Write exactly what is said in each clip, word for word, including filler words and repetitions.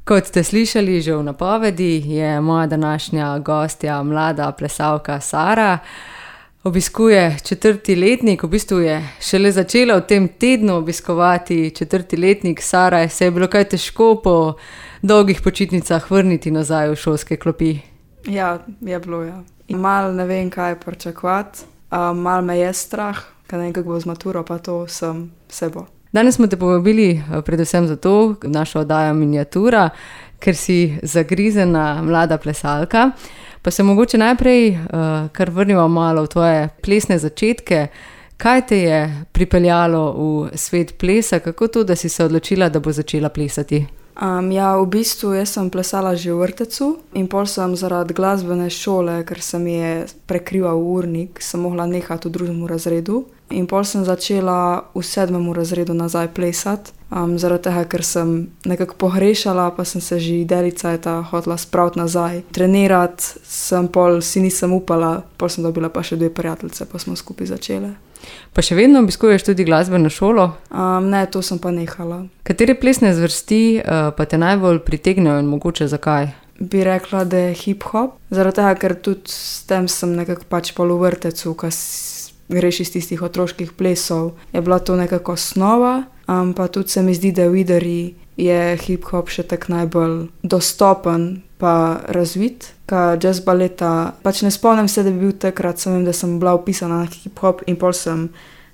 Kot ste slišali že v napovedi, je moja današnja gostja mlada plesalka Sara. Obiskuje četrti letnik, v bistvu je šele začela v tem tednu obiskovati četrti letnik. Sara, se je bilo kaj težko po dolgih počitnicah vrniti nazaj v šolske klopi? Ja, je bilo, ja. Mal ne vem, kaj pričakovati, mal me je strah, kaj nekako bo z maturo, pa to sem sebo. Danes smo te povabili predvsem zato, našo oddajo Miniatura, ker si zagrizena mlada plesalka. Pa se mogoče najprej uh, kar vrnimo malo v tvoje plesne začetke. Kaj te je pripeljalo v svet plesa? Kako to, da si se odločila, da bo začela plesati? Um, ja, v bistvu jaz sem plesala že v vrtecu in pol sem zaradi glasbene šole, ker se mi je prekrival urnik, sem mogla nehati v drugem razredu. In pol sem začela v sedmem razredu nazaj plesati, um, zaradi tega, ker sem nekako pohrešala, pa sem se že delica eta hotela spraviti nazaj. Trenirati sem pol, si nisem upala, pol sem dobila pa še dve prijateljice, pa smo skupaj začele. Pa še vedno obiskuješ tudi glasbeno šolo? Um, ne, to sem pa nehala. Katere plesne zvrsti uh, pa te najbolj pritegnejo in mogoče zakaj? Bi rekla, da je hip-hop, zaradi tega, ker tudi s tem sem nekako pač pol v vrtecu, ko greš iz tistih otroških plesov, je bila to nekako osnova, um, pa tudi se mi zdi, da v Idri je hip-hop še tak najbolj dostopen pa razvit, ka jazz baleta, pač ne spomnim se, da bi bil takrat, sem vem, da sem bila upisana na hip-hop in pol sem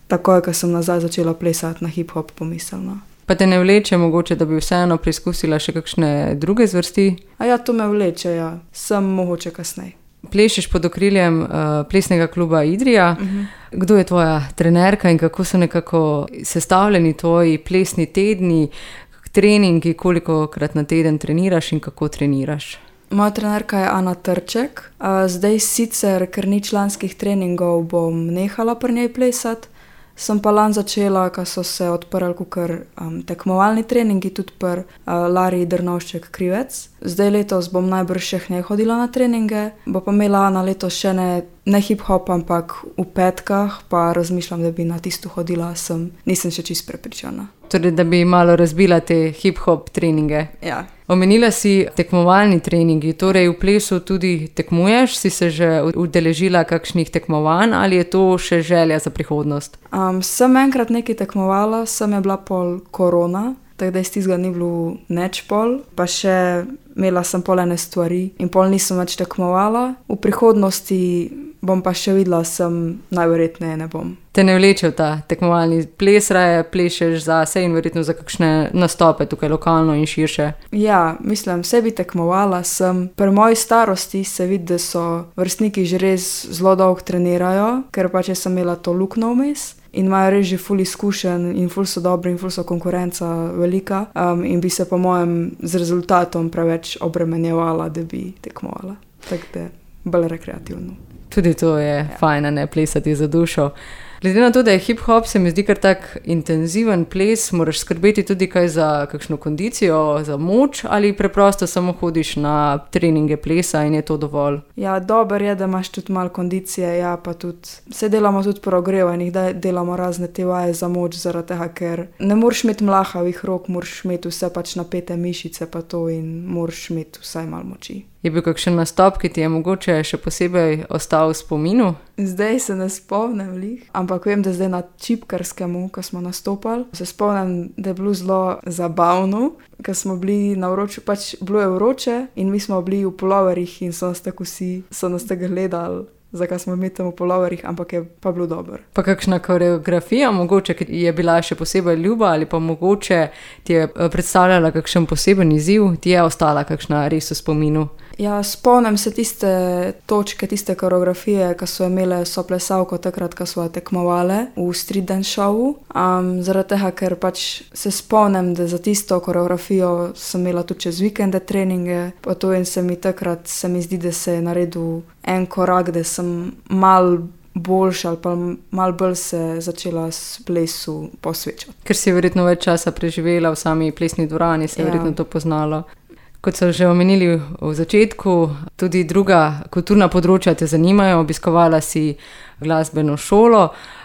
takoj, ko sem nazaj začela plesati na hip-hop pomislila. Pa te ne vleče mogoče, da bi vseeno preizkusila še kakšne druge zvrsti? A ja, to me vleče, ja. Sem mogoče kasneje. Plešeš pod okriljem uh, plesnega kluba Idrija. Uh-huh. Kdo je tvoja trenerka in kako so nekako sestavljeni tvoji plesni tedni, treningi, kolikokrat na teden treniraš in kako treniraš? Moja trenerka je Ana Trček. Uh, zdaj sicer, ker ni članskih treningov, bom nehala pri njej plesati. Sem pa lan začela, ko so se odprli kukar um, tekmovalni treningi, tudi pri uh, Lari Drnovšček Krivec. Zdaj letos bom najbrž še k njej hodila na treninge, bo pa imela na letos še ne, ne hip-hop, ampak v petkah, pa razmišljam, da bi na tisto hodila, sem, nisem še čisto prepričana. Torej, da bi malo razbila te hip-hop treninge. Ja. Omenila si tekmovalni treningi, torej v plesu tudi tekmuješ, si se že udeležila kakšnih tekmovanj ali je to še želja za prihodnost? Um, sem enkrat nekaj tekmovala, sem je bila pol korona, tako da iz tistega ni bilo neč pol, pa še imela sem pol ene stvari in pol nisem več tekmovala. V prihodnosti bom pa še videla, sem najverjetneje ne bom. Te ne vleče v ta tekmovalni ples, raje plešeš zase in verjetno za kakšne nastope tukaj lokalno in širše? Ja, mislim, vse bi tekmovala, sem pri moji starosti se vidi, da so vrstniki že res zelo dolgo trenirajo, ker pač sem imela to luknjo vmes in imajo res že ful izkušenj in ful so dobri in ful so konkurenca velika um, in bi se po mojem z rezultatom preveč obremenjevala, da bi tekmovala. Tako da bolj rekreativno. Tudi to je ja. Fajn, ne plesati za dušo. Glede na to, da je hip-hop, se mi zdi kar tak intenziven ples, moraš skrbeti tudi kaj za kakšno kondicijo, za moč ali preprosto samo hodiš na treninge plesa in je to dovolj? Ja, dober je, da imaš tudi malo kondicije, ja, pa tudi se delamo tudi po ogrevanjih, da delamo razne te vaje za moč, zaradi tega, ker ne moreš imeti mlahavih rok, moraš imeti vse pač napete mišice pa to in moraš imeti vsaj malo moči. Je bil kakšen nastop, ki ti je mogoče še posebej ostal v spominu? Zdaj se ne spomnim lih, ampak vem, da zdaj na Čipkarskemu, ko smo nastopali, se spomnim, da je bilo zelo zabavno, ko smo bili na vroču, pač bilo je vroče in mi smo bili v puloverjih in so nas tako vsi, so nas tako gledali, zakaj smo mi tam v puloverjih, ampak je pa bilo dobro. Pa kakšna koreografija mogoče, ki je bila še posebej ljuba ali pa mogoče ti je predstavljala kakšen poseben izziv, ti je ostala kakšna res v spominu? Ja, spomnim se tiste točke, tiste koreografije, ki so imele soplesalko takrat, ko so tekmovale v street dance showu. Um, zaradi tega, ker pač se spomnim, da za tisto koreografijo sem imela tudi čez vikende treninge, pa to in se mi takrat, se mi zdi, da se je naredil en korak, da sem mal boljša ali pa mal bolj se začela s plesu posvečati. Ker si verjetno več časa preživela v sami plesni dvorani, se je ja. verjetno to poznalo. Kot so že omenili v začetku, tudi druga kulturna področja te zanimajo, obiskovala si glasbeno šolo,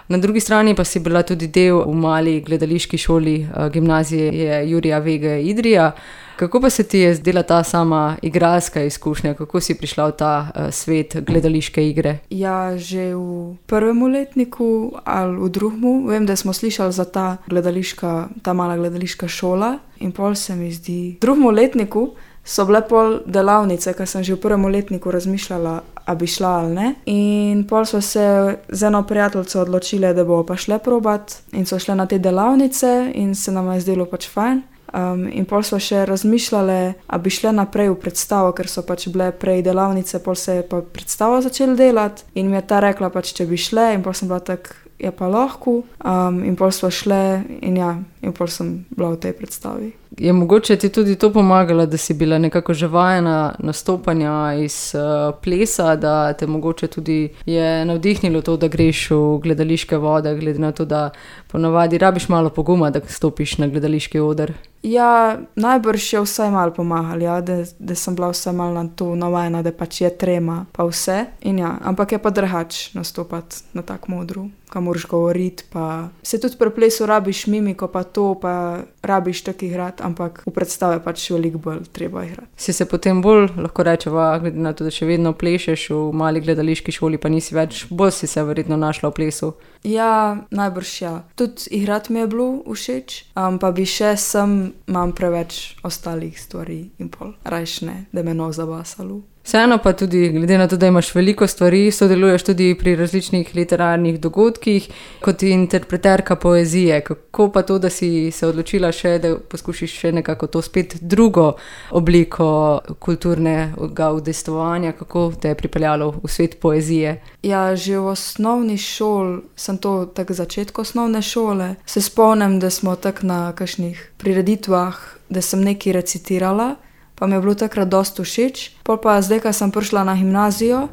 na drugi strani pa si bila tudi del v mali gledališki šoli gimnazije Jurija Vege Idrija. Kako pa se ti je zdela ta sama igralska izkušnja, kako si prišla v ta uh, svet gledališke igre? Ja, že v prvem letniku ali v drugem, vem, da smo slišali za ta gledališka, ta mala gledališka šola in pol se mi zdi. V drugem letniku so bile pol delavnice, ker sem že v prvem letniku razmišljala, a bi šla ali ne. In pol so se z eno prijateljico odločile, da bo pa šle probat in so šle na te delavnice in se nam je zdelo pač fajn. Um, in pol so še razmišljale, a bi šle naprej v predstavo, ker so pač bile prej delavnice, pol se je pa predstavo začeli delati in mi je ta rekla pač, če bi šle in pol sem bila tak, je pa lahko. Um, in pol smo šle in ja, in pol sem bila v tej predstavi. Je mogoče ti tudi to pomagalo, da si bila nekako že vajena nastopanja iz uh, plesa, da te mogoče tudi je navdihnilo to, da greš v gledališke vode, glede na to, da ponavadi rabiš malo poguma, da stopiš na gledališki oder? Ja, najbrž je vsaj malo pomagalo, ja, da, da sem bila vsaj malo na to navajena, da pač je trema, pa vse. In ja, ampak je pa drugače nastopati na tak modru, kam moraš govoriti, pa se tudi pri plesu rabiš mimiko, pa to, pa rabiš tak igrati, ampak v predstave pač veliko bolj treba igrati. Si se potem bolj, lahko rečeva, glede na to, da še vedno plešeš v mali gledališki šoli, pa nisi več, bolj si se verjetno našla v plesu? Ja, najbrž ja. Tudi igrati mi je bilo všeč, um, pa bi še sem, imam preveč ostalih stvari in pol rajš ne, da me no zabasalo. Vseeno pa tudi, glede na to, da imaš veliko stvari, sodeluješ tudi pri različnih literarnih dogodkih kot interpreterka poezije. Kako pa to, da si se odločila še, da poskušiš še nekako to spet drugo obliko kulturnega udejstvovanja, kako te je pripeljalo v svet poezije? Ja, že v osnovni šoli, sem to tak začetku osnovne šole, se spomnim, da smo tak na kakšnih prireditvah, da sem nekaj recitirala, pa mi je bilo takrat dosti všeč. Pol pa zdaj, ko sem prišla na gimnazijo,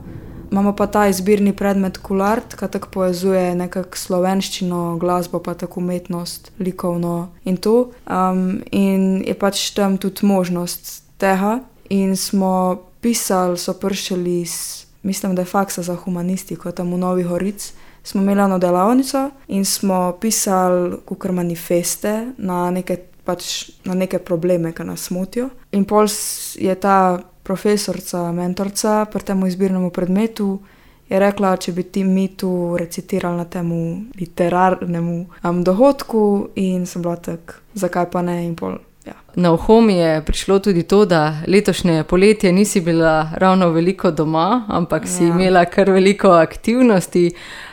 imamo pa ta izbirni predmet Kulart, ki tako povezuje nekako slovenščino, glasbo, pa tako umetnost, likovno in to. Um, in je pač tam tudi možnost tega. In smo pisali, so prišli iz, mislim, da je faksa za humanistiko, tam v Novi Gorici. Smo imeli eno delavnico in smo pisali kakor manifeste na neke pač na neke probleme, ki nas motijo. In pol je ta profesorca, mentorca pri temu izbirnemu predmetu je rekla, če bi ti mi tu recitirali na temu literarnemu um, dohodku in sem bila tak, zakaj pa ne in pol. Ja. Na uho mi je prišlo tudi to, da letošnje poletje nisi bila ravno veliko doma, ampak ja. Si imela kar veliko aktivnosti.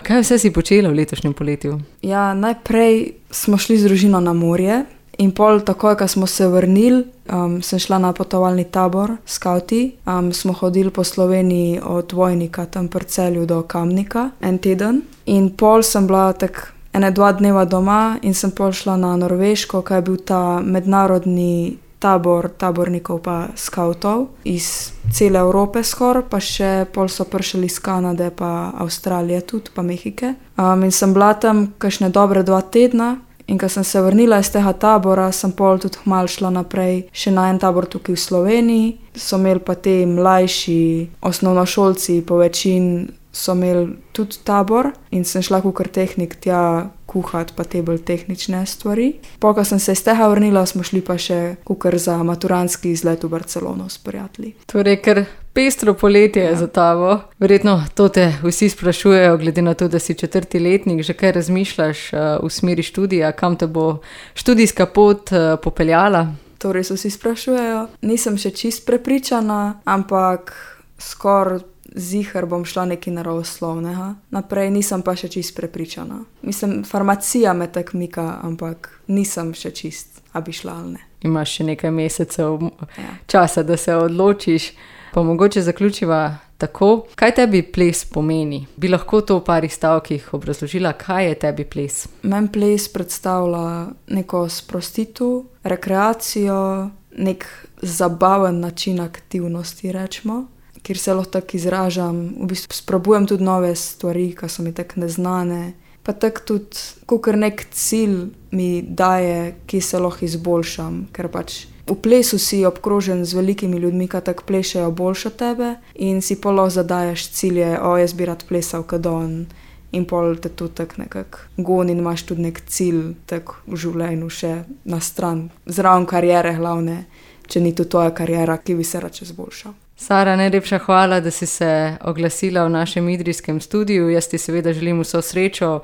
Kaj vse si počela v letošnjem poletju? Ja, najprej smo šli z družino na morje. In pol takoj, ko smo se vrnili, um, sem šla na potovalni tabor, skauti. Um, smo hodili po Sloveniji od Vojnika, tam pri Celju do Kamnika, en teden. In pol sem bila tak ene dva dneva doma in sem pol šla na Norveško, kaj je bil ta mednarodni tabor tabornikov pa skautov iz cele Evrope skor, pa še pol so prišli iz Kanade pa Avstralije tudi, pa Mehike. Um, in sem bila tam kakšne dobre dva tedna. In ko sem se vrnila iz tega tabora, sem pol tudi malo šla naprej še na en tabor tukaj v Sloveniji. So imeli pa te mlajši osnovnošolci, po večini so imeli tudi tabor in sem šla kakor tehnik tja kuhati pa te bolj tehnične stvari. Pol, ko sem se iz tega vrnila, smo šli pa še kakor za maturantski izlet v Barcelono s prijatelji. Torej, ker pestro poletje je ja. Za tabo. Verjetno to te vsi sprašujejo, glede na to, da si četrti letnik, že kaj razmišljaš uh, v smeri študija, kam te bo študijska pot uh, popeljala? Torej, so vsi sprašujejo. Nisem še čist prepričana, ampak skor ziher bom šla nekaj naravoslovnega. Naprej nisem pa še čist prepričana. Mislim, farmacija me tak mika, ampak nisem še čist, a bi šla ali ne. Imaš še nekaj mesecev ja. Časa, da se odločiš. Pa mogoče zaključiva tako. Kaj tebi ples pomeni? Bi lahko to v parih stavkih obrazložila, kaj je tebi ples? Meni ples predstavlja neko sprostitev, rekreacijo, nek zabaven način aktivnosti, rečemo, kjer se lahko tako izražam. V bistvu sprobujem tudi nove stvari, ki so mi tako neznane. Pa tako tudi, kakor nek cilj mi daje, ki se lahko izboljšam, ker pač v plesu si obkrožen z velikimi ljudmi, ki tako plešejo boljše od tebe in si pol lahko zadajaš cilje, o, jaz bi rad plesal kot on in pol te to tako nekako goni in imaš tudi nek cilj tako v življenju še na stran, zraven kariere glavne, če ni to tvoja kariera, ki bi se rad čez boljša. Sara, najlepša hvala, da si se oglasila v našem idrijskem studiu. Jaz ti seveda želim vso srečo,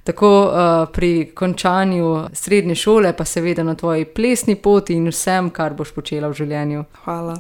tako uh, pri končanju srednje šole, pa seveda na tvoji plesni poti in vsem, kar boš počela v življenju. Hvala.